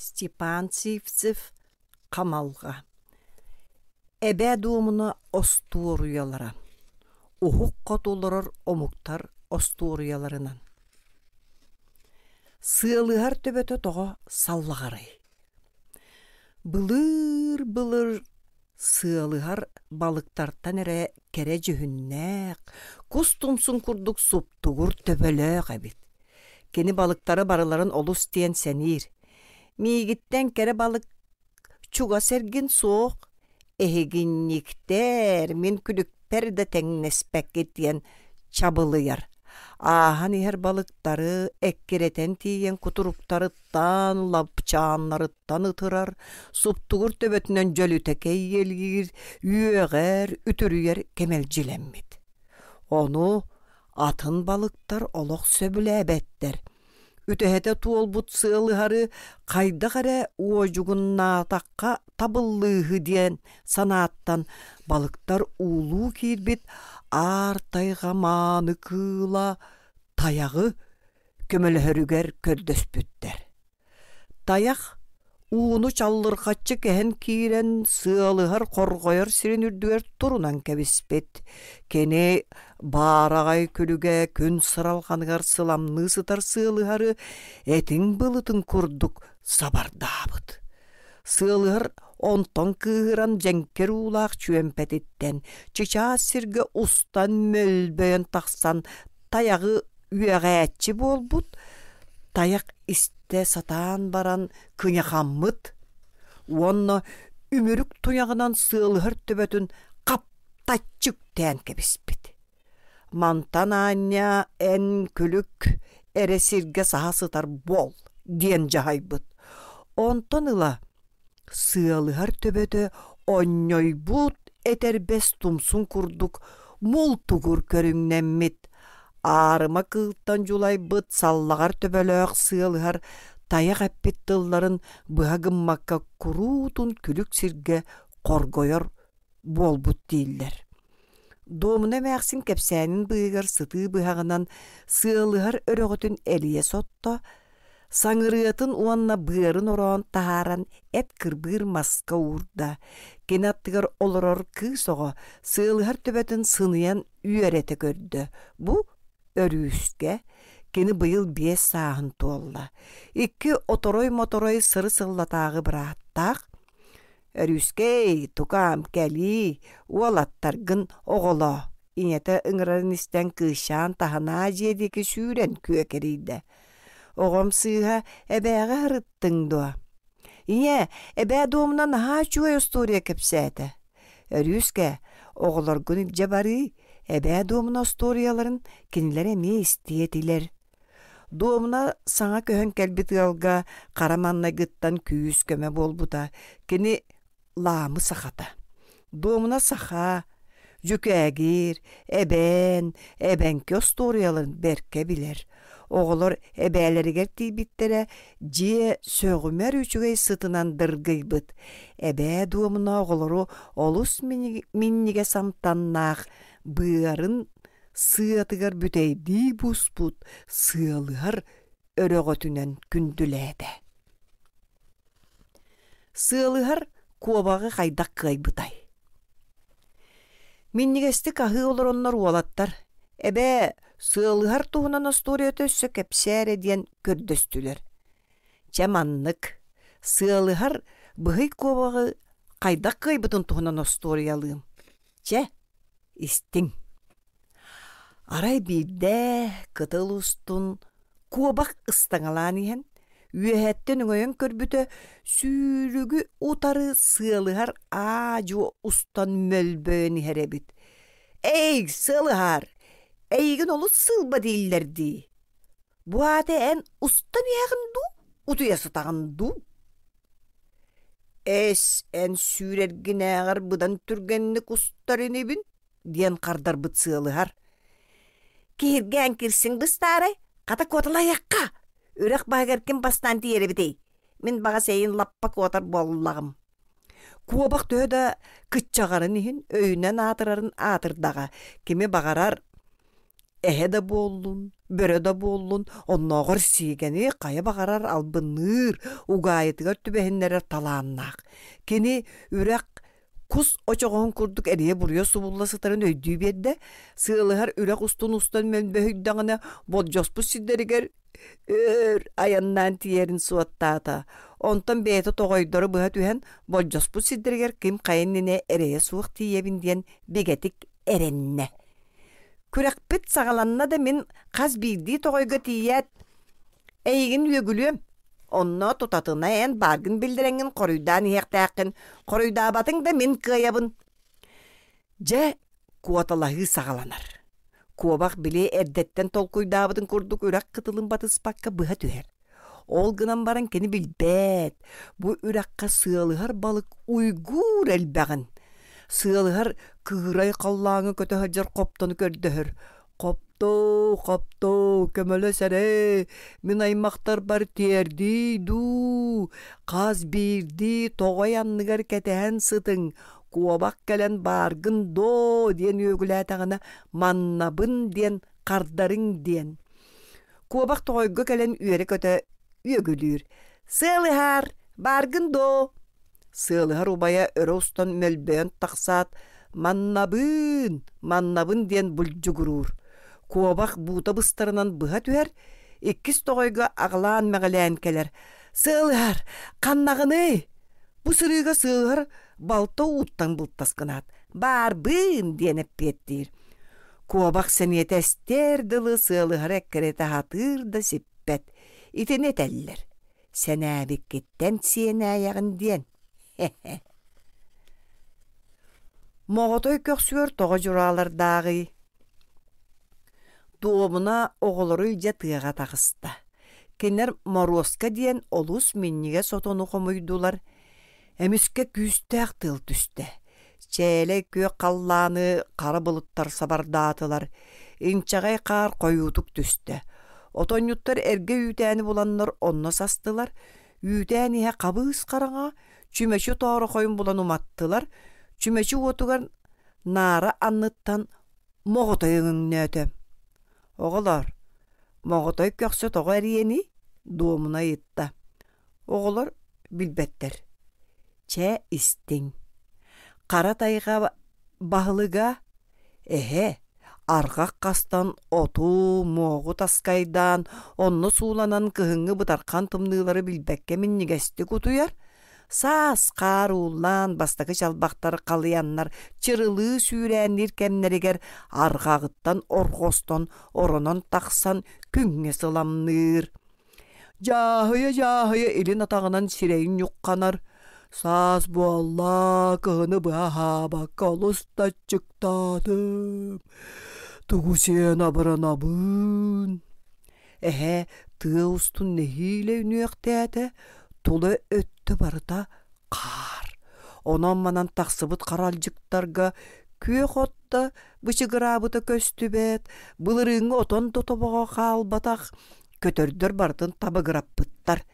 Степан Сивцев Хамалҕа Эбээ Дуомуна остуоруйалара Уһук хоту олорор омуктар остуоруйаларынан Сыалыһар төбөтө тоҕо саллаҕарай Былыыр-былыр сыалыһар балыктартан эрэ кэрэ дьүһүннээх, кус тумсун курдук суптугур төбөлөөх эбит. Кини балыктары барыларын олус диэн сэниир. Миигиттэн кэрэ балык чугас эргин суох, эһигинньиктэр, мин күлүкпэр да тэҥнэспэккит диэн чабылыйар. Ааһан иһэр балыктары эккирэтэн тиийэн кутуруктарыттан, лапчааннарыттан ытырар, суптугур төбөтүнэн дьөлүтэ кэйиэлиир, үөҕэр, үтүрүйэр кэмэлдьилэммит. Ону атын балыктар олох сөбүлээбэттэр. Үтэһэтэ туолбут сыалыһары хайдах эрэ уодьугуннаатахха табыллыыһы диэн санааттан балыктар уулуу киирбит аар тайҕа мааны кыыла тайаҕы көмөлөһөрүгэр көрдөспүттэр. Тайах ууну чаллырҕаччы кэһэн киирэн сыалыһар хорҕойор сирин үрдүгэр турунан кэбиспит. Кини баараҕай күлүгэ күн сыралҕаныгар сыламныы сытар сыалыһары этиҥ былытын курдук сабардаабыт. Сыалыһар онтон кыыһыран дьэҥкир уулаах чүөмпэтиттэн чычаас сиргэ устан мөлбөйөн тахсан тайаҕы үөҕээччи буолбут, тайах истэ сатаан баран кыйахаммыт уонна үмүрүк туйаҕынан сыалыһар төбөтүн хаптаччы үктээн кэбиспит. Мантан аанньа эн күлүк эрэ сиргэ саһа сытар буол диэн дьаһайбыт. Онтон ыла Сыалыһар төбөтө онньойбут этэрбэс тумсун курдук мултугур көрүҥнэммит, аарыма кыылтан дьулайбыт саллаҕар төбөлөөх сыалыһар тайах эппит тылларын быһа гыммакка куруутун күлүк сиргэ хоргойор буолбут дииллэр. Дуомуна эмээхсин кэпсээнин быыһыгар сытыы быһаҕынан сыалыһар өрөҕөтүн элийэ сотто, саҥырыатын уонна быарын ороон таһааран эт кырбыыр маска уурда. Кини аттыгар олорор кыыс оҕо сыалыһар төбөтүн сыныйан үөрэтэ көрдө. Бу өрүүскэ кини быйыл 5 сааһын туолла. Икки оторой-моторой сыры-сыллатааҕы бырааттаах Өрүүскэй, тукаам, кэлиий, уолаттаргын оҕолоо, ийэтэ ыҥырарын истэн кыысчаан таһынаа дьиэ диэки сүүрэн күөкэрийдэ. Оҕом сыыһа эбээҕэ ырыттыҥ дуо? Ийээ, эбээ дуомуна наһаа үчүгэй остуоруйа кэпсээтэ. Өрүүскэ, оҕолоргун илдьэ барыы, эбээ дуомуна остуоруйаларын кинилэр эмиэ истиэ этилэр. Дуомуна саҥа көһөн кэлбит ыалга хара маҥнайгыттан күүс-көмө буолбута. Кини Лаамы сахата. Дуомуна саха, дьүкээгир, эбээн, эбэҥки остуоруйаларын бэркэ билэр. Оҕолор эбээлэригэр тиийбиттэрэ дьиэ сөҕүмэр үчүгэй сытынан дыргыйбыт. Эбээ Дуомуна оҕолору олус минньигэс амтаннаах быарын сыатыгар бүтэйдии буспут сыалыһар өрөҕөтүнэн күндүлээтэ. Сыалыһар куобаҕы хайдах кыайбытай? Минньигэстик аһыы олороннор уолаттар «Эбээ, сыалыһар туһунан остуоруйата өссө кэпсээ эрэ» диэн көрдөстүлэр. Чэ маннык, сыалыһар быһый куобаҕы хайдах кыайбытын туһунан остуоруйалыым. Чэ, Истиҥ. Арай биирдэ кытыл устун куобах ыстаҥалаан иһэн, үөһэттэн өҥөйөн көрбүтэ, сүүрүгү утары сыалыһар аа-дьуо устан мөлбөйөн иһэр эбит. «Эй, сыалыһаар, эйигин олус сыылба дииллэр дии. Бу аата эн устан иһэҕин дуу, утуйа сытаҕын дуу?» «Эс, эн сүүрэргинээҕэр быдан түргэнник устар инибин» диэн хардарбыт сыалыһар. «Киһиргээн кирсиҥ быстаарай, хата куоталаһыахха, үрэх баһыгар ким бастаан тиийэр эбитий? Мин баҕас эйин лаппа куотар буоллаҕым». Куобах төһө да кыччаҕарын иһин өйүнэн аатырарын аатырдаҕа, кими баҕарар эһэ да буоллун, Бөрө да буоллун, оннооҕор сиигэни хайа баҕарар албынныыр, угаайытыгар түбэһиннэрэр талааннаах. Кини үрэх кус очоҕоһун курдук эрийэ-буруйа субулла сытарын өйдүү биэрдэ, сыалыһар үрэх устун устан мөлбөһүйдэҕинэ болдьоспут сирдэригэр өр айаннаан тиийэрин суоттаата. Онтон бэйэтэ тоҕойдору быһа түһэн болдьоспут сирдэригэр ким хайа иннинэ эрэйэ суох тиийэбин диэн бигэтик эрэннэ. Күрэхпит саҕаланна да мин хас биирдии тоҕойго тиийээт эйигин үөгүлүөм. Онно тутатына эн бааргын биллэрэҥҥин хоруйдаан иһиэхтээххин, хоруйдаабатыҥ да мин кыайабын. Дьэ, куоталаһыы саҕаланар. Куобах били эрдэттэн толкуйдаабытын курдук үрэх кытылын батыспакка быһа түһэр. Ол гынан баран кини билбэт, бу үрэххэ сыалыһар балык уйгуур элбэҕин. Сыалыһар кыырай халлааҥҥа көтө сылдьар хоптону көрдөһөр. «Хоптоо, хоптоо, көмөлөс эрэ, мин аймахтарбар тиэрдиий дуу, хас биирдии тоҕой анныгар кэтэһэн сытыҥ, куобах кэлэн бааргын доо» диэн үөгүлээтэҕинэ маннабын диэн хардарыҥ диэн. Куобах тоҕойго кэлэн үөрэ-көтө үөгүлүүр: «Сыалыһаар, бааргын доо?» Сыалыһар убайа өрө устан мөлбөйөн тахсаат, «Маннабыын, маннабын» диэн булдьугуруур. Куобах буута быстарынан быһа түһэр, иккис тоҕойго аҕылаан-мэҕилээн кэлэр: «Сыалыһар, ханнаҕыный?» Бу сырыыга сыалыһар балта ууттан былтас гынаат, «Баарбыын» диэн эппиэттиир. Куобах сэниэтэ эстиэр дылы сыалыһара эккирэтэ сатыыр да сиппэт. Итини этэллэр: сэнээбиккиттэн сиэнээйэҕин диэн. Моҕотой көхсүгэр тоҕо дьураалардааҕый? Дуомуна оҕолору илдьэ тыаҕа таҕыста. Кинилэр Моруоска диэн олус минньигэс отону хомуйдулар. Эмискэ күүстээх тыал түстэ. Чээлэй күөх халлааны хара былыттар сабардаатылар, инчэҕэй хаар хойуутук түстэ. Отонньуттар эргэ үүтээни буланнар онно састылар, үүтээн иһэ хабыыс хараҥа, чүмэчи тоорохойун булан уматтылар, чүмэчи уотугар наара анныттан моҕотой өҥөҥнөөтө. Оҕолоор, моҕотой көхсө тоҕо эриэний? Дуомуна ыйытта. Оҕолор билбэттэр. Чэ, истиҥ. Хара тайҕа баһылыга эһэ арҕах хастан оту, муоҕу таскайдаан, онно сууланан кыһыҥҥы бытархан тымныылары билбэккэ минньигэстик утуйар, саас хаар ууллаан бастакы чалбахтар халыйаннар чырылыы сүүрээнниир кэмнэригэр арҕаҕыттан орҕостон оронон тахсан күҥҥэ сыламныыр. Дьааһыйа-дьааһыйа илин атаҕынан сирэйин ньухханар, саас буолла, кыһыны быһа аһаабакка олус да аччыктаатым, тугу сиэн абыранабын. Эһэ тыа устун нэһиилэ үнүөхтээтэ, тула өттө барыта хаар. Онон-манан тахсыбыт харалдьыктарга күөх от да бычыгыраабыта көстүбэт, былырыыҥҥы отон да тобоҕо хаалбатах, көтөрдөр барытын табыгыраппыттар.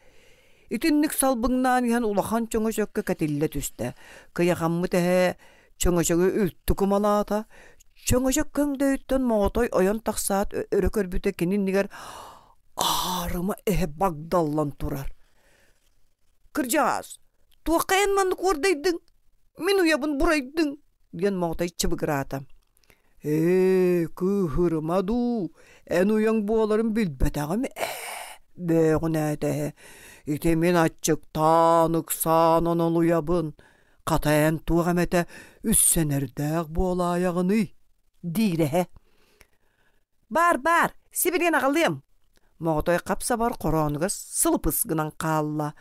Итинник салбыҥнаан иһэн улахан чөҥөчөккө кэтиллэ түстэ. Кыйахаммыт эһэ чөҥөчөгү үлтү кумалаата. Чөҥөчөк көҥдөйүттэн моҕотой ойон тахсаат өрө көрбүтэ кини иннигэр аарыма эһэ багдаллан турар. «Кырдьаҕас, туохха эн маннык уордайдыҥ? Мин уйабын бурайдыҥ!» диэн моҕотой чыбыгыраата. Ээ, кыыһырыма дуу, эн уйаҥ буоларын билбэтэҕим ээ, бөөҕүнээтэ эһэ. Ити мин аччыктаан, ыксаан онолуйабын. Хата эн туох эмэтэ үссэнэрдээх буолаайаҕыный? диир эһэ. Баар, баар, сибилигин аҕалыам. Моҕотой хап-сабар хороонугар сылыпыс гынан хаалла.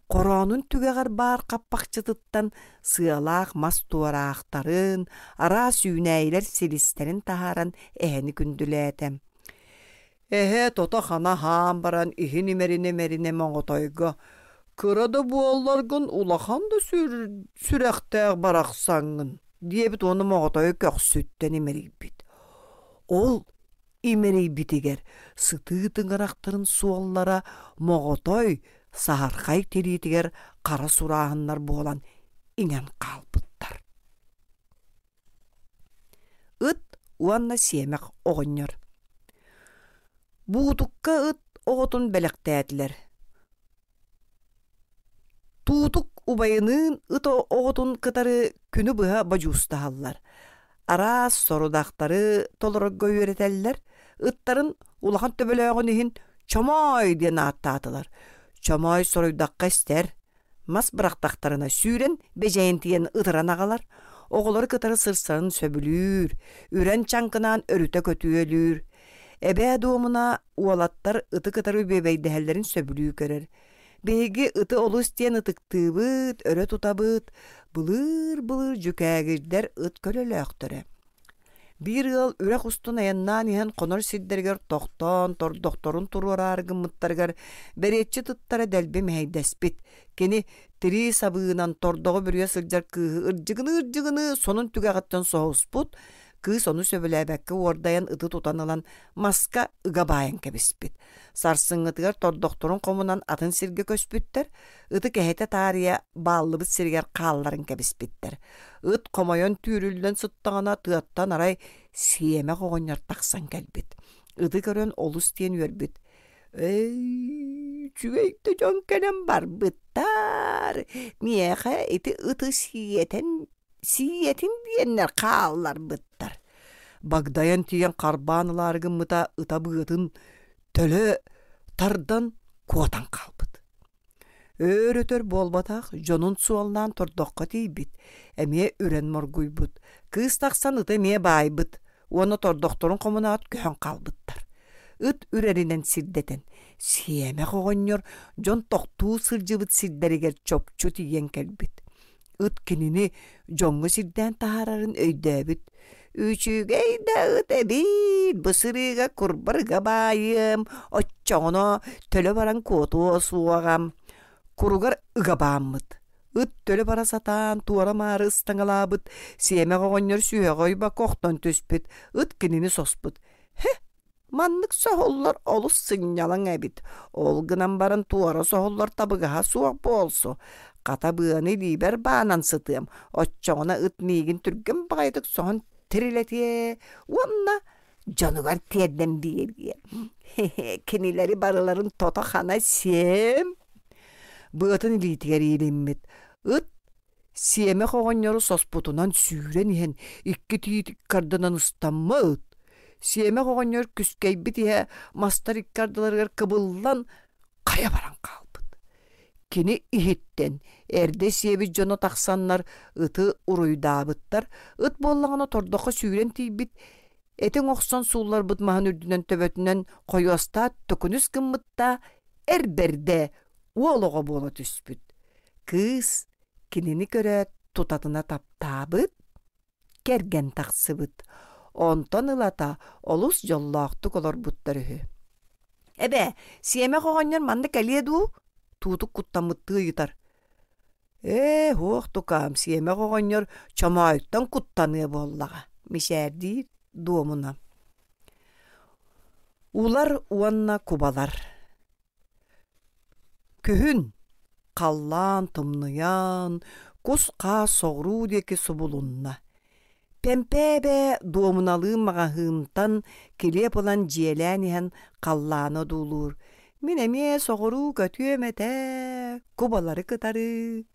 Хороонун түгэҕэр баар хаппахчытыттан сыалаах мас туораахтарын, араас үүнээйилэр силистэрин таһааран эһэни күндүлээтэ. Эһэ тото-хана аһаан баран иһин имэринэ-имэринэ моҕотойго «Кыра да буолларгын улахан да сүрэхтээх барахсаҥҥын» диэбит уонна моҕотойу көхсүттэн имэрийбит. Ол имэрийбитигэр сытыы тыҥырахтарын суоллара моҕотой саһархай тириитигэр хара сурааһыннар буолан иҥэн хаалбыттар. Ыт уонна сиэмэх оҕонньор. Буутукка ыт оҕотун бэлэхтээтилэр. Туутук убайыныын ыт оҕотун кытары күнү быһа бодьуустаһаллар. Араас сорудахтары толорорго үөрэтэллэр. Ыттарын улахан төбөлөөҕүн иһин Чомоой диэн ааттаатылар. Чомоой соруйдахха истэр, мас бырахтахтарына сүүрэн бэдьэйэн тиийэн ытыран аҕалар, оҕолору кытары сырсарын сөбүлүүр, үрэн чаҥкынаан өрүтэ көтүөлүүр. Эбээ Дуомуна уолаттар ыты кытары бүөбэйдэһэллэрин сөбүлүү көрөр. Биһиги ыты олус диэн ытыктыыбыт, өрө тутабыт, былыыр-былыр дьүкээгирдэр ыт көлөлөөхтөрө. Биир ыал үрэх устун айаннаан иһэн хонор сирдэригэр тохтоон, тордохторун туруораары гыммыттарыгар бэриэтчит ыттара дэлби мэһэйдэспит. Кини тирии сабыынан тордоҕу бүрүйэ сылдьар кыыһы ырдьыгыныы-ырдьыгыныы сонун түгэҕиттэн соһуспут, кыыс ону сөбүлээбэккэ уордайан ыты тутан ылан маска ыга баайан кэбиспит. Сарсыҥҥытыгар тордохторун хомунан атын сиргэ көспүттэр, ыты кэһэтэ таарыйа бааллыбыт сиригэр хаалларан кэбиспиттэр. Ыт хомойон түүрүллэн сыттаҕына тыаттан арай сиэмэх оҕонньор тахсан кэлбит. Ыты көрөн олус диэн үөрбүт. «Эй, үчүгэй да дьон кэлэн барбыттар. Миэхэ ити ыты сиэтэн сиэтин диэннэр хаалларбыттар. Багдайан тиийэн харбаан ылаары гыммыта ыта быатын төлө тардан куотан хаалбыт. Өөр-өтөр буолбатах, дьонун суоллаан тордоххо тиийбит, эмиэ үрэн моргуйбут. Кыыс тахсан ыты эмиэ баайбыт уонна тордохторун хомунаат көһөн хаалбыттар. Ыт үрэринэн сирдэтэн, сиэмэх оҕонньор дьон тохтуу сылдьыбыт сирдэригэр чопчу тиийэн кэлбит. Ыт кинини дьоҥҥо сирдээн таһаарарын өйдөөбүт. «Үчүгэй да ыт эбит, бу сырыыга курбарыга баайыам, оччоҕуна төлө баран куотуо суоҕа» Куругар ыга бааммыт. Ыт төлө бара сатаан туора-маары ыстаҥалаабыт, сиэмэх оҕонньор сүһэҕэ ойбокко охтон түспүт, ыт кинини соспут. «Һэ, Маннык соһуллар олус сынньалаҥ эбит, ол гынан баран туора соһуллар табыгаһа суох буолсу, хата быаны илиибэр баанан сытыам, оччоҕуна ыт миигин түргэн баҕайытык соһон тирилэтиэ уонна дьонугар тиэрдэн биэриэ. Кинилэри барыларын тото-хана сиэм. Быатын илиитигэр иилиммит ыт Сиэмэх оҕонньору соспутунан сүүрэн иһэн икки тиит икки ардынан ыстаммыт. Сиэмэх оҕонньор күскэйбит иһэ мастар икки ардыларыгар кыбыллан хайа баран хаалбыт. Кини иһиттэн эрдэ сиэбит дьоно тахсаннар ыты уруйдаабыттар. Ыт буоллаҕына тордоххо сүүрэн тиийбит, этиҥ охсон суулларбыт маһын үрдүнэн төбөтүнэн хойуостаат төкүнүс гыммытта эр бэрдэ уол оҕо буола түспүт. Кыыс кинини көрөөт тутатына таптаабыт, кэргэн тахсыбыт. Онтон ылата олус дьоллоохтук олорбуттар үһү. «Эбээ, сиэмэх оҕонньор манна кэлиэ дуу?» Туутук куттаммыттыы ыйытар. «Ээ, һуох тукаам, сиэмэх оҕонньор чомоойуттан куттаныа буоллаҕа», мичээрдиир Дуомуна. Улар уонна кубалар Күһүн халлаан тымныйан, кус-хаас соҕуруу диэки субулунна. Пэмпээбэ дуомуналыы маҕаһыынтан килиэп ылан дьиэлээн иһэн халлааны одуулуур: «Мин эмиэ соҕуруу көтүөм этэ, кубалары кытары.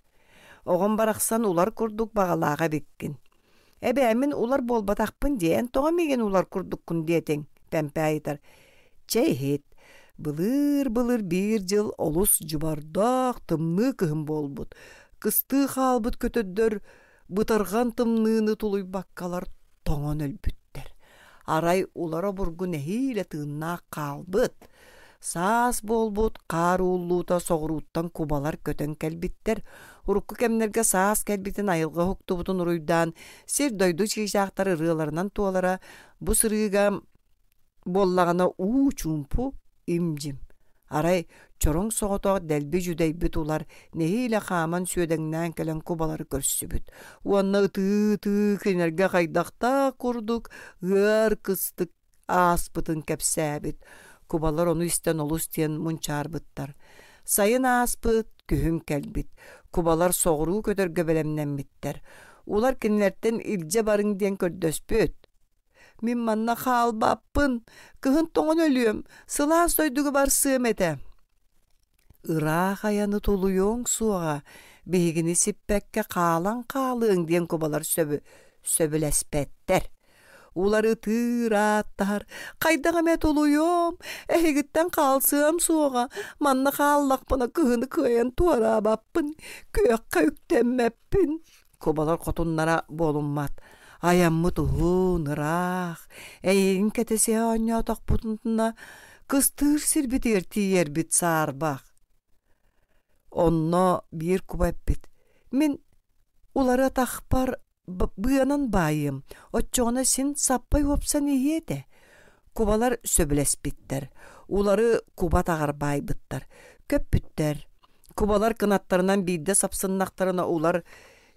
Оҕом барахсан улар курдук баҕалаах эбиккин. Эбээ, мин улар буолбатахпын дии, эн тоҕо миигин улар курдуккун диэтиҥ?» Пэмпээ ыйытар. «Чэ иһит, былыыр-былыр биир дьыл олус дьыбардаах тымныы кыһын буолбут. Кыстыы хаалбыт көтөрдөр бытарҕан тымныыны тулуйбаккалар тоҥон өлбүттэр. Арай улар обургу нэһиилэ тыыннаах хаалбыт. Саас буолбут хаар ууллуута соҕурууттан кубалар көтөн кэлбиттэр. Урукку кэмнэргэ саас кэлбитин айылҕа уһуктубутун уруйдаан сир-дойду чыычаахтар ырыаларынан туолара бу сырыыга буоллаҕына уу чуумпу им-дьим. Арай чороҥ соҕотох дэлби дьүдэйбит улар нэһиилэ хааман сүөдэҥнээн кэлэн кубалары көрсүбүт уонна ытыы-ытыы кинилэргэ хайдахтаах курдук ыар кыстык ааспытын кэпсээбит. Кубалар ону истэн олус диэн мунчаарбыттар. Сайын ааспыт, күһүн кэлбит. Кубалар соҕуруу көтөргө бэлэмнэммиттэр. Улар кинилэртэн илдьэ барыҥ диэн көрдөспүт. Мин манна хаалбаппын, кыһын тоҥон өлүөм, сылаас дойдуга барсыам этэ. Ыраах айаны тулуйуоҥ суоҕа, биһигини сиппэккэ хаалан хаалыаҥ диэн кубалар сөбүлэспэттэр. Уларытыыр ааттаһар, хайдах эмэ тулуйуом, эһигиттэн хаалсыам суоҕа, манна хааллахпына кыһыны кыайан туораабаппын, күөххэ үктэммэппин. Кубалар хотуннара буолуммат. Айаммыт уһун, ыраах, эйигин кэтэсиһэ оонньоотохпутуна кыстыыр сирбитигэр тиийэрбит саарбах. Онно биир куба эппит: «Мин улары атахпар быанан баайыам, оччоҕуна син саппай уопсан иһиэ этэ». Кубалар сөбүлэспиттэр, улары куба атаҕар баайбыттар, көппүттэр. Кубалар кынаттарынан биирдэ сапсыннахтарына улар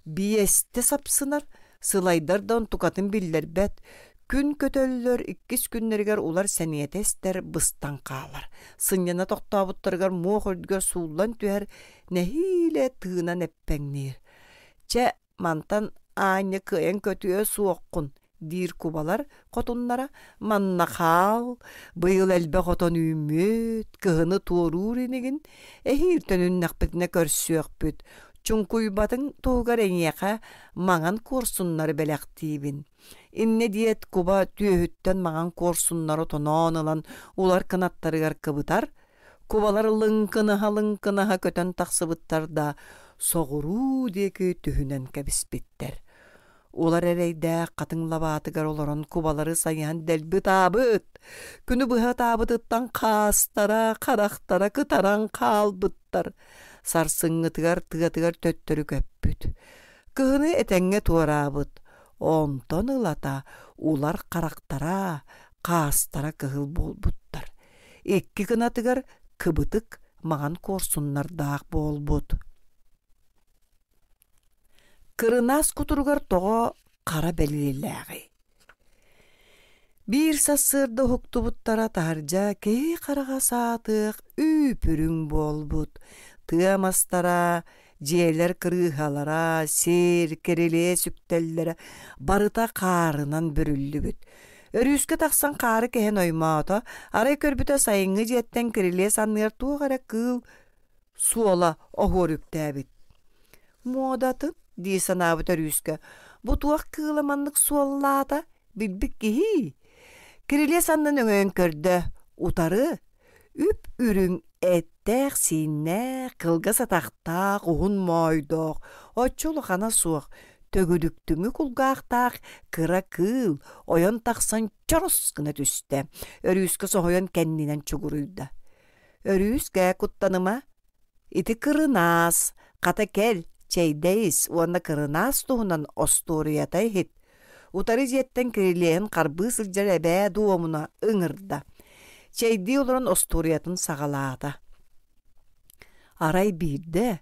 биэстэ сапсынар, сылайдар да онтукатын биллэрбэт. Күн көтөллөр, иккис күннэригэр улар сэниэтэ эстэр, быстан хаалар. Сынньана тохтообуттарыгар муох үрдүгэр сууллан түһэр, нэһиилэ тыынан эппэҥниир. Чэ, Мантан аанньа кыайан көтүө суоххун, диир кубалар хотуннара, манна хаал, быйыл элбэх отон үүммүт, кыһыны туоруур инигин, эһиил төнүннэхпитинэ көрсүөхпүт, чуҥкуйбатыҥ туһугар эйиэхэ маҥан куорсуннары бэлэхтиибин. Иннэ диэт куба түөһүттэн маҥан куорсуннары тоноон ылан улар кынаттарыгар кыбытар, Кубалар лыҥкынаһа-лыҥкынаһа көтөн тахсыбыттар да, соҕуруу диэки түһүнэн кэбиспиттэр. Улар эрэйдээх хатыҥ лабаатыгар олорон кубалары сайыһан дэлби ытаабыт. Күнү быһа ытаабытыттан хаастара, харахтара кытаран хаалбыттар. Сарсыҥҥытыгар тыатыгар төттөрү көппүт. Кыһыны этэҥҥэ туораабыт. Онтон ылата улар харахтара, хаастара кыһыл буолбуттар. Икки гынатыгар кыбытык маҥан куорсуннардаах буолбут. Кырынаас кутуругар тоҕо хара бэлиэлээҕий? Биир сарсыарда уһуктубуттара таһырдьа киһи хараҕа саатыах үүп-үрүҥ буолбут. Тыа мастара, дьиэлэр кырыыһалара, сир, кирилиэс үктэллэрэ барыта хаарынан бүрүллүбүт. Өрүүскэ тахсан хаары кэһэн оймоото, арай көрбүтэ сайыҥҥы дьиэттэн кирилиэс анныгар туох эрэ кыыл суола оһуор үктээбит. «Муодатын» дии санаабыт Өрүүскэ, «бу туох кыыла маннык суоллаата, билбит киһи?» Кирилиэс аннын өҥөйөн көрдө, утары үп-үрүҥ эттээх-сииннээх, кылгас атахтаах, уһун моойдоох, оччо улахана суох, төгүрүктүҥү кулгаахтаах кыра кыыл ойон тахсан чорос гына түстэ, Өрүүскэ соһуйан кэннинэн чугуруйда. «Өрүүскэ, куттаныма, ити кырынаас, хата кэл, чэйдэ ис уонна кырынаас туһунан остуоруйата иһит» Утары дьиэттэн кирилиэһин харбыы сылдьар эбээ дуомуна ыҥырда. Чэйдии олорон остуоруйатын саҕалаата. Арай биирдэ,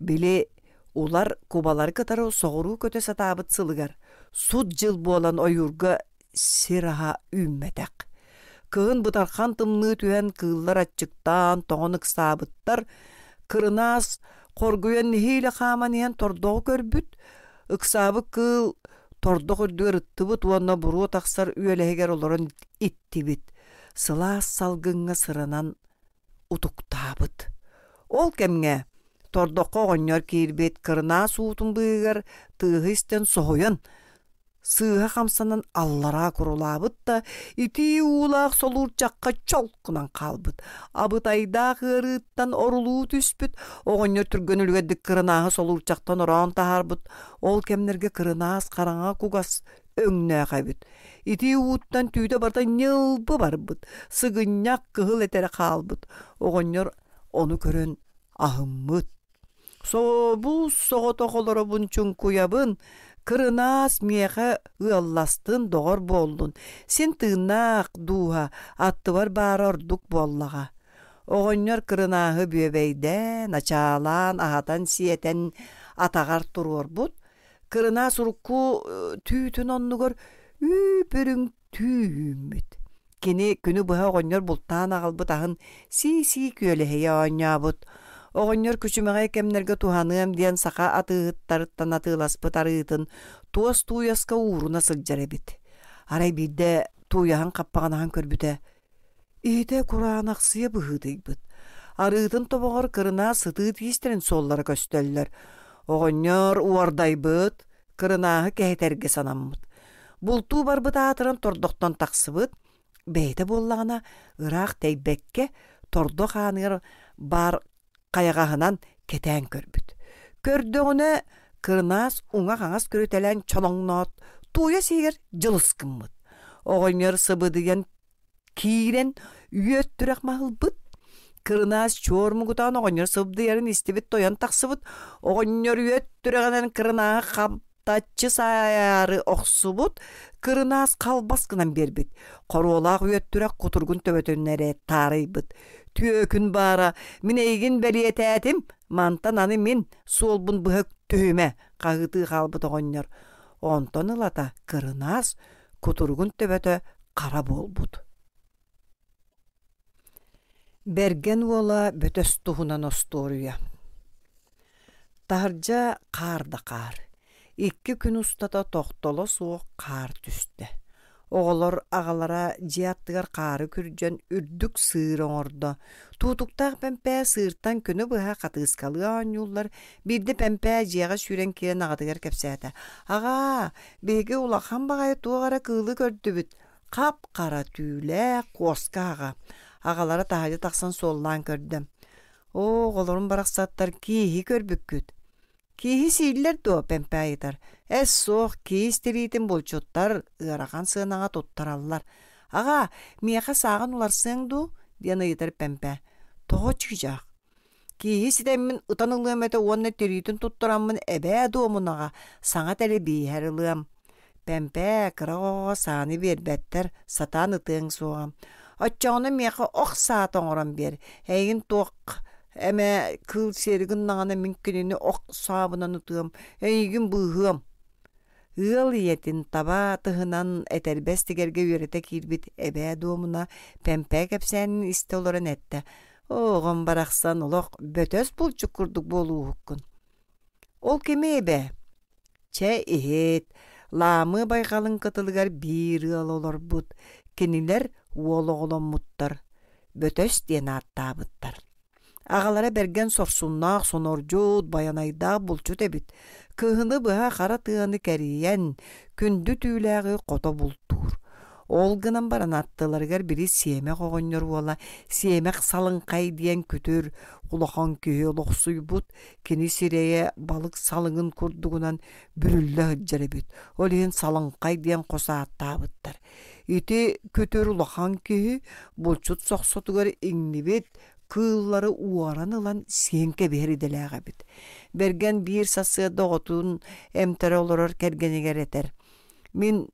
били, улар кубалары кытары соҕуруу көтө сатаабыт сылыгар, сут дьыл буолан ойуурга сир аһа үүммэтэх. Кыһын бытархан тымныы түһэн кыыллар аччыктаан, тоҥон ыксаабыттар. Кырынаас хоргуйан нэһиилэ хааман иһэн тордоҕу көрбүт, Ыксаабыт кыыл тордох үрдүгэр ыттыбыт уонна буруо тахсар үөлэһигэр олорон иттибит, сылаас салгыҥҥа сыранан утуктаабыт. Ол кэмҥэ тордоххо оҕонньор киирбит, кырынаас уутун быыһыгар тыаһы истэн соһуйан сыыһа хамсанан аллараа курулаабыт да, итии уулаах солуурчахха чолкунан хаалбыт. Абытайдаах ыарыыттан орулуу түспүт, оҕонньор түргэн үлүгэрдик кырынааһы солуурчахтан ороон таһаарбыт. Ол кэмнэргэ кырынаас хараҥа кугас өҥнөөх эбит. Итии ууттан түүтэ барыта ньылбы барбыт, сыгынньах кыһыл этэрэ хаалбыт. Оҕонньор ону көрөн аһыммыт. Собус соҕотох олоробун чуҥкуйабын, кырынаас миэхэ ыалластын, доҕор буоллун, син тыыннаах дууһа аттыбар баара ордук буоллаҕа. Оҕонньор кырынааһы бүөбэйдээн, ачаалаан, аһатан-сиэтэн атаҕар туруорбут, кырынаас урукку түүтүн оннугар үүп-үрүҥ түү үүммүт. Кини күнү быһа оҕонньор бултаан аҕалбыт аһын сии-сии күөлэһийэ оонньообут. Оҕонньор күчүмэҕэй кэмнэргэ туһаныам диэн саха атыыһыттарыттан атыыласпыт арыытын туос тууйаска ууруна сылдьар эбит. Арай биирдэ тууйаһын хаппаҕынаһан көрбүтэ, иһитэ кураанахсыйа быһыытыйбыт. Арыытын тобоҕор кырынаас сытыы тиистэрин суоллара көстөллөр. Оҕонньор уордайбыт, кырынааһы кэһэтэргэ санаммыт. Бултуу барбыт аатыран тордохтон тахсыбыт, бэйэтэ буоллаҕына ыраах тэйбэккэ тордох ааныгар баар хайаҕаһынан кэтээн көрбүт. Көрдөҕүнэ кырынаас уҥа-хаҥас көрүтэлээн чолоҥноот, тууйас иһигэр дьылыс гыммыт. Оҕонньор сыбыдыйан киирэн үөт түрэх маһылбыт. Кырынаас чуор мугутаан оҕонньор сыбдыйарын истибит тойон тахсыбыт. Оҕонньор үөт түрэҕинэн кырынааһы хаптаччы саайаары охсубут, кырынаас халбас гынан биэрбит. Хоруолаах үөт түрэх кутургун төбөтүн эрэ таарыйбыт. Түөкүн баара, мин эйигин бэлиэтээтим, мантан аны мин суолбун быһа түһүмэ, хаһыытыы хаалбыт оҕонньор. Онтон ылата кырынаас кутуругун төбөтө хара буолбут. Бэргэн уола Бөтөс туһунан остуоруйа. Таһырдьа хаар да хаар. Икки күн устата тохтоло суох хаар түстэ. Оҕолор аҕалара дьиэ аттыгар хаары күрдьэн үрдүк сыыр оҥордо. Туутуктаах Пэмпээ сыыртан күнү быһа хатыыскалыы оонньууллар. Биирдэ Пэмпээ дьиэҕэ сүүрэн киирэн аҕатыгар кэпсээтэ: «Аҕаа, биһиги улахан баҕайы туох эрэ кыылы көрдүбүт. Хап-хара түүлээх куоска аҕа». Аҕалара таһырдьа тахсан суоллаан көрдө: «Оо, оҕолорум барахсаттар кииһи көрбүккүт. Кииһи сииллэр дуо?» Пэмпээ ыйытар. «Эс суох, киис тириитин булчуттар ыарахан сыанаҕа туттараллар. Аҕаа, миэхэ сааҕын уларсыаҥ дуу?» диэн ыйытар Пэмпээ. «Тоҕо чыычаах? Кииһи ситэммин ытан ылыам этэ уонна тириитин туттараммын эбээ дуомунаҕа саҥа тэлэбииһэр ылыам. Пэмпээ, кыра оҕоҕо сааны биэрбэттэр, сатаан ытыаҥ суоҕа. Оччоҕуна миэхэ ох саата оҥорон биэр. Эйигин туох эмэ кыыл сиэри гыннаҕына мин кинини ох саабынан ытыам, эйигин быыһыам. Ыал ийэтин таба тыһынан этэрбэс тигэргэ үөрэтэ киирбит эбээ дуомуна Пэмпээ кэпсээнин истэ олорон эттэ: «Оҕом барахсан олох бөтөс булчук курдук буолууһуккун. Ол кими эбээ? Чэ, иһит, Лаамы байҕалын кытылыгар биир ыал олорбут, кинилэр уол оҕоломмуттар, Бөтөс диэн ааттаабыттар. Аҕалара бэргэн сорсуннаах сонордьут, байанайдаах булчут эбит. Кыһыны быһа хара тыаны кэрийэн, күндү түүлээҕи хото бултуур. Ол гынан баран аттыларыгар били сиэмэх оҕонньор уола Сиэмэх Салыҥхай диэн күтүр улахан киһи олохсуйбут, кини сирэйэ балык салыҥын курдугунан бүрүллэ сылдьар эбит. Ол иһин Салыҥхай диэн хос ааттаабыттар. Ити күтүр улахан киһи булчут сохсотугар иҥнибит кыыллары уоран ылан сиэн кэбиһэр идэлээх эбит. Бэргэн биир сарсыарда оҕотун эмтэрэ олорор кэргэнигэр этэр: «Мин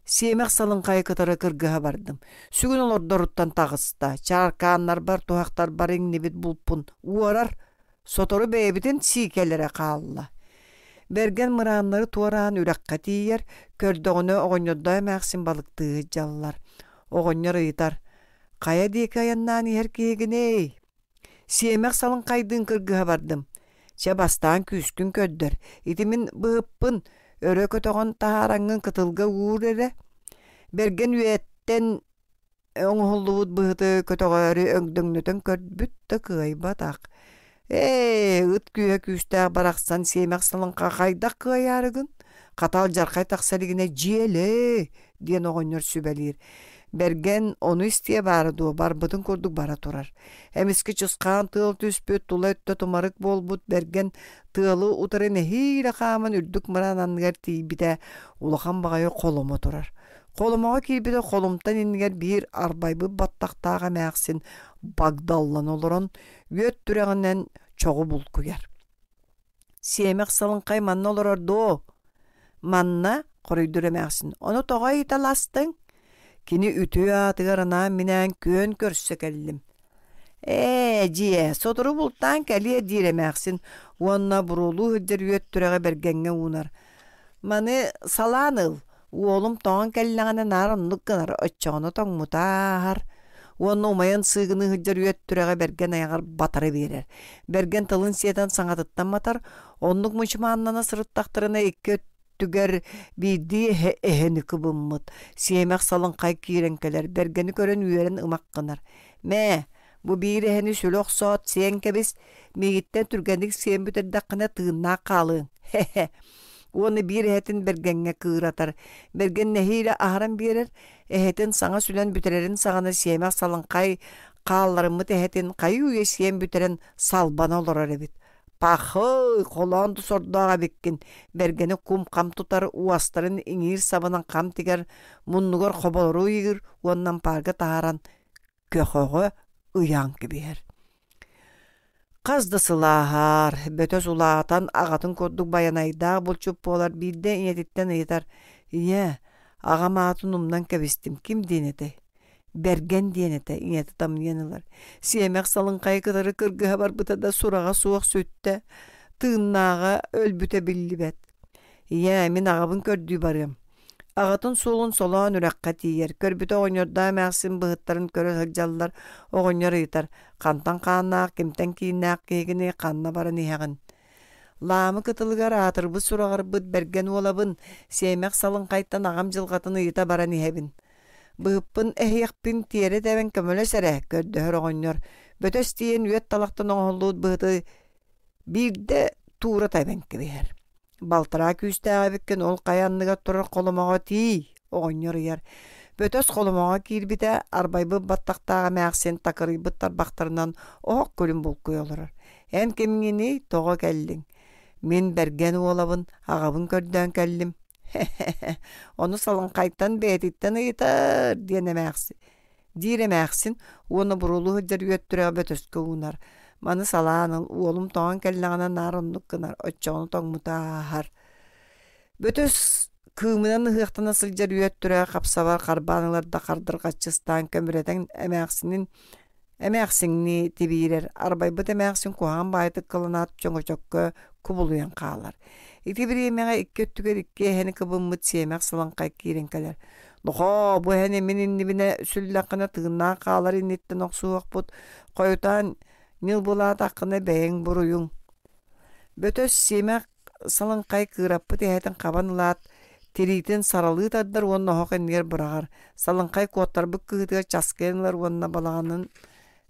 Сиэмэх салыҥхайы кытары кыргыһа бардым. Сүгүн олордоруттан таҕыста, чааркааннарбар, туһахтарбар иҥнибит булпун уорар, сотору бэйэбитин сиикэлэрэ хаалла. Бэргэн мырааннары туораан үрэххэ тиийэр, көрдөҕүнэ оҕонньордоо эмээхсин балыктыы сылдьаллар. Оҕонньор ыйытар: «Хайа диэки айаннаан иһэр киһигиний?» Сиэмэх салыҥхайдыын кыргыһа бардым. Чэ, бастаан күүскүн көрдөр, ити мин быһыппын, өрө көтөҕөн таһаараҥҥын кытылга уур эрэ. Бэргэн үйэттэн оҥоһуллубут быһыты көтөҕөөрү өҥдөҥнөтөн көрбүт да кыайбатах. Ээ, ыт күүһэ күүстээх барахсан сиэмэх салыҥха хайдах кыайаарыгын? Хата алдьархай тахса илигинэ дьиэлээ диэн оҕонньор сүбэлиир. Бэргэн ону истиэ баара дуо, барбытын курдук бара турар. Эмискэ чысхаан тыал түспүт, тула өттө тумарык буолбут Бэргэн тыалы утары нэһиилэ хааман үрдүк мыраан анныгар тиийбитэ, улахан баҕайы холомо турар. Холомоҕо киирбитэ холумтан иннигэр биир арбайбыт баттахтаах эмээхсин багдаллан олорон, үөт түрэҕинэн чоҕу булкуйар. Сиэмэх салыҥхай манна олорор дуо? Манна, хоруйдуур эмээхсин, ону тоҕо ыйыталастыҥ? Кини үтүө аатыгар анаан-минээн күөн көрсө кэллим. Ээ, дьиэ, сотору бултаан кэлиэ диир эмээхсин уонна буруолуу сылдьар үөт түрэҕи бэргэҥҥэ уунар. Маны салаан ыл, Уолум тоҥон кэллэҕинэ наар оннук гынар, оччоҕуна тоҥмута ааһар уонна умайан сыыгыныы сылдьар үөт түрэҕэ Бэргэн айаҕар батары биэрэр. Бэргэн тылын сиэтэн саҥатыттан матар, оннук мучумааннана сырыттахтарына икки өттүгэр биирдии эһэ эһэни кыбыммыт. Сиэмэх салыҥхай киирэн кэлэр, бэргэни көрөн үөрэн ымах гынар. «Мээ, бу биир эһэни сүлэ охсоот сиэн кэбис, миигиттэн түргэнник сиэн бүтэрдэххинэ тыыннаах хаалыаҥ, хе-хе». Уонна биир эһэтин Бэргэҥҥэ кыыратар. Бэргэн нэһиилэ аһаран биэрэр, эһэтин саҥа сүлэн бүтэрэрин саҕана сиэмэх салыҥхай хаалларыммыт эһэтин хайыы-үйэ сиэн бүтэрэн салбана олорор эбит. Пахы, холоон да сордоох эбиккин, бэргэни кум-хам тутар, уостарын иҥиир сабынан хам тигэр, муннугар хоболору ыйыыр уонна ампаарга таһааран көхөҕө ыйаан кэбиһэр. Хас да сыл ааһар, бөтөс улаатан, аҕатын курдук байанайдаах булчут буолар биирдэ ийэтиттэн ыйытар: «Ийээ, аҕам аатын умнан кэбистим, ким диэн этэй?» Бэргэн диэн этэ, ийэтэ тамныйан ылар. Сиэмэх салыҥхайы кытары кыргыһа барбыта да сураҕа суох сүттэ, тыыннааҕа өлбүтэ биллибэт. Ийээ, мин аҕабын көрдүү барыам. Аҕатын суолун солоон үрэххэ тиийэр, көрбүтэ оҕонньордоох эмээхсин быһыттарын көрө сылдьаллар, оҕонньор ыйытар: «Хантан хааннаах, кимтэн кииннээх киһигиний, ханна баран иһэҕин?» Лаамы кытылыгар аатырбыт сураҕырбыт бэргэн уолабын, сиэмэх салыҥхайтан аҕам дьылҕатын ыйыта баран иһэбин. Быһыппын эһиэхпин тиэрэ тэбэн көмөлөс эрэ, көрдөһөр оҕонньор. Бөтөс тиийэн үөт талахтан оҥоһуллубут быһыты биирдэ туура тэбэн кэбиһэр. Балтараа күүстээх эбиккин ол хайа анныгар турар холомоҕо тиий, оҕонньор ыйар. Бөтөс холомоҕо киирбитэ, арбайбыт баттахтаах эмээхсин такырыйбыт тарбахтарынан оһох күлүн булкуйа олорор. Эн кимҥиний, тоҕо кэллиҥ? Мин Бэргэн уолабын, аҕабын көрдөөн кэллим. Хе-хе-хе, ону салыҥхайтан бэйэтиттэн ыйытар диэн эмээхсин диир эмээхсин уонна буруолуу сылдьар үөттүрэҕи бөтөскө уунар. Маны салаан ыл, уолум тоҥон кэллэҕинэ наар оннук гынар, оччоҕуна тоҥмута ааһар. Бөтөс кыымынан ыһыахтана сылдьар үөттүрэҕи хапсабар харбаан ылар да хардырҕаччы ыстаан көмүрэтэн эмээхсинин эмээхсиҥнии тибиирэр, арбайбыт эмээхсин куһаҕан баайытык кыланаат чөҥөчөккө кубулуйан хаалар. Ити бириэмэҕэ икки өттүгэр икки эһэни кыбыммыт сиэмэх сылаҥхай киирэн кэлэр. Нохоо, бу эһэни мин иннибинэ сүллэххинэ тыыннаах хаалар инниттэн охсуһуохпут, хойутаан ньылбылаатаххына бэйэҥ буруйуҥ. Бөтөс сиэмэх салыҥхай кыыраппыт эһэтин хабан ылаат, тириитин саралыы тардар уонна оһох иннигэр быраҕар. Салыҥхай куоттарбыт кыһыытыгар часкыйан ылар уонна балаҕанын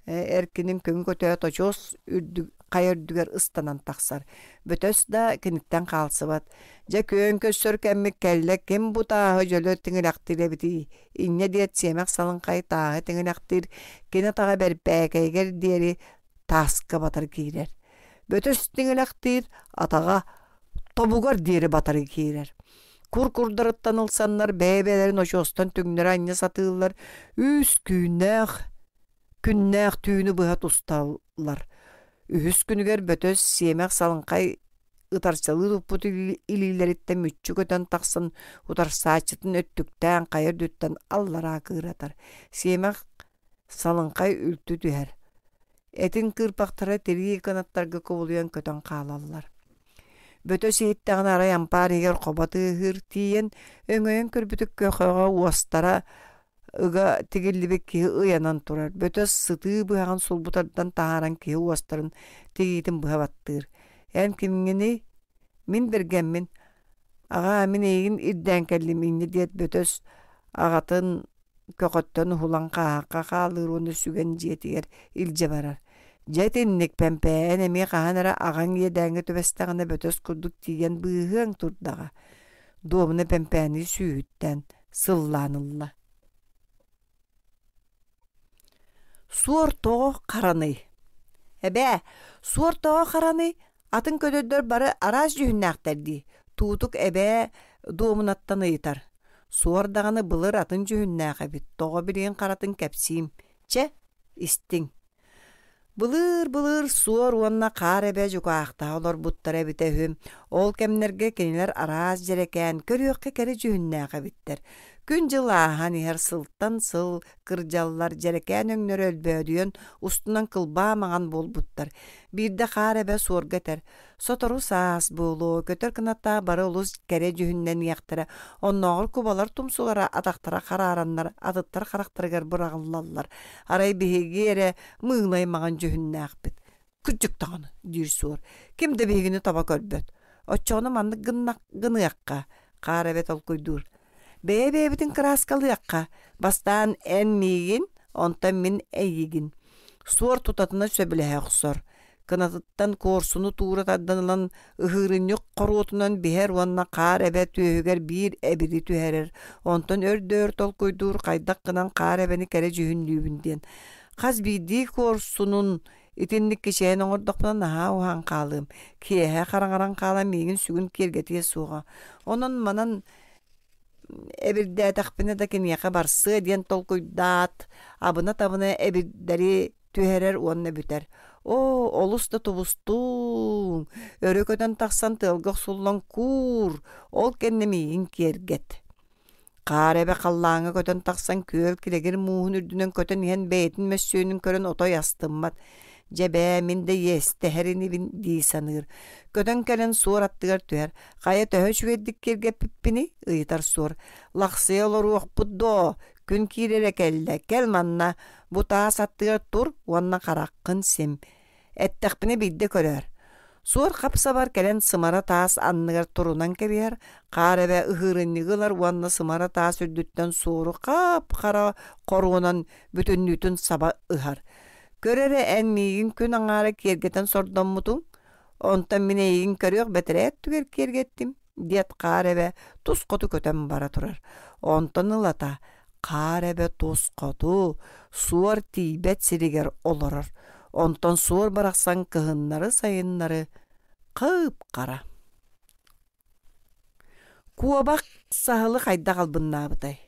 эркинин көҥү көтөөт очуос үрдүк хайа үрдүгэр ыстанан тахсар. Бөтөс да киниттэн хаалсыбат. Дьэ күөн көрсөр кэммит кэллэ, ким бу тааһы дьөлө тиҥилэхтиир эбитий? Инньэ диэт сиэмэх салыҥхай тааһы тиҥилэхтиир, кини атаҕа бэрбээкэйигэр диэри тааска батар киирэр. Бөтөс тиҥилэхтиир, атаҕа тобугар диэри батары киирэр. Кур курдарыттан ылсаннар бэйэ-бэйэлэрин очуостан түҥнэри анньа сатыыллар, үс түүннээх күннээх түүнү быһа тусталлар. Үһүс күнүгэр бөтөс сиэмэх салыҥхай ытарчалыы туппут илиилэриттэн мүччү көтөн тахсан утарсааччытын өттүктээн хайа үрдүттэн аллараа кыыратар. Сиэмэх салыҥхай үлтү түһэр. Этин кыырпахтара тирии кынаттарга кубулуйан көтөн хаалаллар. Бөтөс иһиттэҕинэ арай ампаар иһигэр хобо тыаһыыр тиийэн, өҥөйөн көрбүтүк көхөҕө уостара ыга тигиллибит киһи ыйанан турар. Бөтөс сытыы быһаҕын сулбутардан таһааран киһи уостарын тигиитин быһа баттыыр. «Эн кимҥиний?» «Мин бэргэммин. Аҕаа, мин эйигин ирдээн кэллим» инньэ диэт Бөтөс аҕатын көҕөттөн уһулан хааһахха хаалыыр уонна сүгэн дьиэтигэр илдьэ барар. Дьэ итинник Пэмпээн эмиэ хаһан эрэ аҕаҥ иэдээҥҥэ түбэстэҕинэ бөтөс курдук тиийэн быыһыаҥ турдаҕа. Дуомуна Пэмпээни сүүһүттэн сыллаан ылла. Суор тоҕо хараный? Эбээ, суор тоҕо хараный? Атын көтөрдөр бары араас дьүһүннээхтэр дии, Туутук эбээ дуомунаттан ыйытар. Суор даҕаны былыр атын дьүһүннээх эбит, тоҕо билигин харатын кэпсиим. Чэ, истиҥ. Былыыр-былыр суор уонна хаар эбэ дьукаахтаһа олорбуттара эбитэ үһү. Ол кэмнэргэ кинилэр араас дьэрэкээн, көрүөххэ кэрэ дьүһүннээх эбиттэр. Күн-дьыл ааһан иһэр сылтан сыл кырдьаллар, дьэрэкээн өҥнөрө өлбөөдүйэн, устунан кылбаа маҥан буолбуттар. Биирдэ хаар эбэ суорга этэр: Сотору саас буолуо, көтөр кынаттаах бары олус кэрэ дьүһүннэниэхтэрэ, оннооҕор кубалар тумсулара атахтара хараараннар атыттар харахтарыгар быраҕыллаллар. Арай биһиги эрэ мыылай маҥан дьүһүннээхпит. Кырдьык даҕаны, диир суор, ким да биһигини таба көрбөт. Оччоҕуна маннык гыныахха, хаар эбэ толкуйдуур. Бэйэ-бэйэбитин кырааскалыахха, бастаан эн миигин, онтон мин эйигин. Суор тутатына сөбүлэһэ охсор. Кынатыттан куорсуну туура тардан ылан ыһыырынньык хоруотунан биһэр уонна хаар эбэ түөһүгэр биир эбири түһэрэр, онтон өр да өр толкуйдуур хайдах гынан хаар эбэни кэрэ дьүһүннүүбүн диэн. Хас биирдии куорсунун итинник кичэйэн оҥордохпуна наһаа уһаан хаалыам, киэһэ хараҥаран хаалан миигин сүгүн киэргэтиэ суоҕа. Онон манан эбирдээтэхпинэ да киниэхэ барсыа диэн толкуйдаат, абына-табына эбирдэри түһэрэр уонна бүтэр. Оо, олус да тубустуҥ! Өрө көтөн тахсан тыалга охсуллан куур, ол кэннэ миигин киэргэт. Хаар эбэ халлааҥҥа көтөн тахсан күөл килэгир мууһун үрдүнэн көтөн иһэн бэйэтин мөссүөнүн көрөн отой астыммат. Дьэ бээ, мин да иэстэһэр инибин дии саныыр. Көтөн кэлэн суор аттыгар түһэр. Хайа төһө үчүгэйдик киэргэппиппиний? ыйытар суор. Лахсыйа олоруохпут дуо? Күн киирэрэ кэллэ, кэл манна, бу таас аттыгар тур уонна хараххын сим. Эттэхпинэ биирдэ көрөөр. Суор хап-сабар кэлэн сымара таас анныгар турунан кэбиһэр, хаар эбэ ыһыырынньыгы ылар уонна сымара таас үрдүттэн суору хап-хара хоруонан бүтүннүүтүн саба ыһар. Көр эрэ эн миигин күн аҥаара киэргэтэн сордоммутуҥ, онтон мин эйигин көрүөх бэтэрээ өттүгэр киэргэттим, диэт хаар эбэ тус хоту көтөн бара турар. Онтон ылата хаар эбэ тус хоту, суор тиийбэт сиригэр олорор. Онтон суор барахсан кыһыннары-сайыннары хып-хара. Куобах саһылы хайдах албыннаабытай?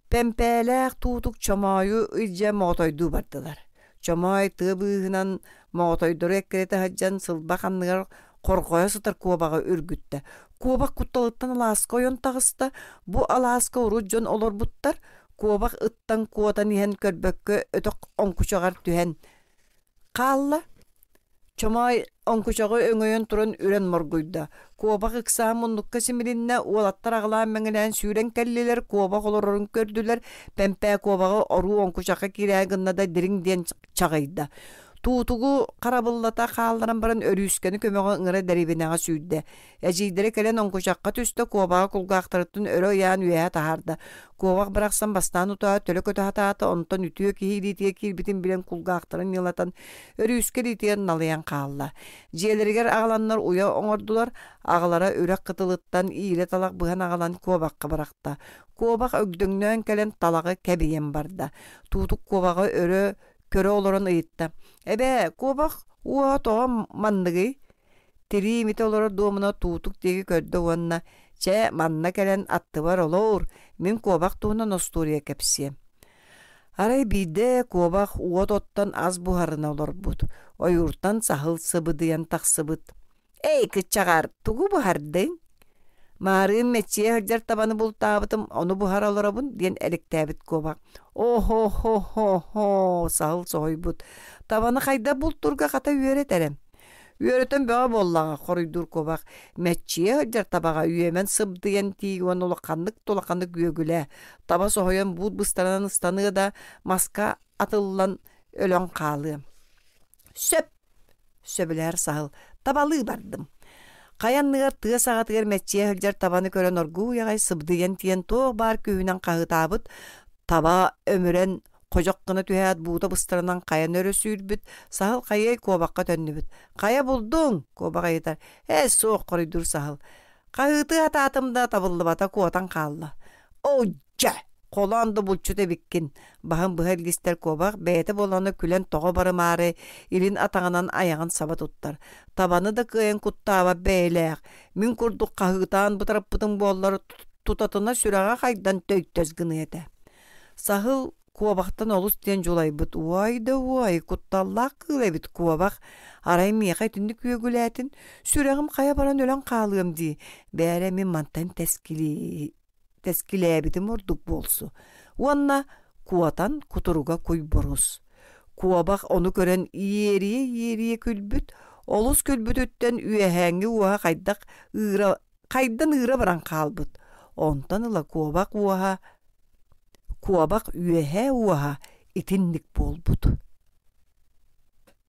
Пэмпээлээх туутук Чомоойу илдьэ моҕотойдуу бардылар. Чомоой тыа быыһынан моҕотойдору эккирэтэ сылдьан сылбах анныгар хорҕойо сытар куобаҕы үргүттэ. Куобах кутталыттан алааска ойон таҕыста. Бу алааска урут дьон олорбуттар. Куобах ыттан куотан иһэн көрбөккө өтөх оҥкучаҕар түһэн хаалла. Чомоой оҥкучаҕы өҥөйөн туран үрэн моргуйда. Куобах ыксаан муннукка симилиннэ, уолаттар аҕылаан мэҥилээн сүүрэн кэллилэр, куобах олорорун көрдүлэр, Пэмпээ куобаҕы оруу оҥкучахха киирээ гынна да дириҥ диэн чаҕыйда. Туутугу харабыллата хаалларан баран Өрүүскэни көмөҕө ыҥыра дэриэбинэҕэ сүүрдэ. Эдьиийдэрэ кэлэн оҥкучахха түстэ, куобаҕы кулгаахтарыттан өрө ыйаан үөһэ таһаарда. Куобах барахсан бастаан утаа төлө көтө сатаата, онтон үтүө киһи илиитигэр киирбитин билэн кулгаахтарын ньылатан, өрүүскэ илиитигэр налыйан хаалла. Дьиэлэригэр аҕаланнар уйа оҥордулар, аҕалара үрэх кытылыттан иирэ талах быһан аҕалан куобахха бырахта. Куобах өгдөҥнөөн кэлэн талаҕы кэбийэн барда. Туутук куобаҕы өрө көрө олорон ыйытта: «Эбээ, куобах уоһа тоҕо манныгый?» Тирии имитэ олорор дуомуна туутук диэки көрдө уонна «Чэ, манна кэлэн аттыбар олоор, мин куобах туһунан остуоруйа кэпсиэм». Арай биирдэ куобах уот оттон ас буһарына олорбут, ойууртан саһыл сыбыдыйан тахсыбыт. «Эй, кыччаҕар, тугу буһардыҥ?» «Маарыын мэччийэ сылдьар табаны бултаабытым, ону буһара олоробун» диэн элэктээбит куобах. «О-хо-хо-хо-хо!» саһыл соһуйбут. «Табаны хайдах бултуурга хата үөрэт эрэ». Үөрэтэн бөҕө буоллаҕа, хоруйдуур куобах. Мэччийэ сылдьар табаҕа үөмэн сыбдыйан тиий уонна улаханнык да улаханнык үөгүлээ. Таба соһуйан буут быстарынан ыстаныа да, маска атыллан өлөн хаалыа. Сөп, сөбүлэһэр саһыл. Табалыы бардым. Хайа анныгар тыа саҕатыгар мэччийэ сылдьар табаны көрөн оргууй аҕай сыбдыйан тиийэн туох баар күүһүнэн хаһыытаабыт, таба өмүрэн Ходьох гына түһээт буута быстарынан хайаны өрө сүүрбүт, саһыл хайыай куобахха төннүбүт. «Хайа булдуҥ?» куобах ыйытар. «Ээ, суох», хоруйдуур саһыл. «Хаһыытыы сатаатым да табыллыбата куотан хаалла». «Оо, дьэ, холоон да булчут эбиккин», баһын быһа илгистэр куобах бэйэтэ буолана күлэн тоҕо барымаары илин атаҕынан айаҕын саба туттар. Табаны да кыайан куттаабат бэйэлээх, мин курдук хаһыытаан бытарыппытым буоллар тутатына сүрэҕэ хайдан төйтөс гыныа этэ. Саһыл куобахтан олус диэн дьулайбыт уой да уой, кутталлаах кыыл эбит куобах, арай миэхэ итинник үөгүлээтин, сүрэҕим хайа баран өлөн хаалыам дии, бээрэ мин мантан тэскилээбитим ордук буолсу. Уонна куотан кутуруга куйбурус. Куобах ону көрөн иэрийэ-иэрийэ күлбүт, олус күлбүтүттэн үөһээҥҥи уоһа хайдах ыыра хайдан ыыра баран хаалбыт. Онтон ыла куобах уоһа Куобах үөһээ уоһа итинник буолбут.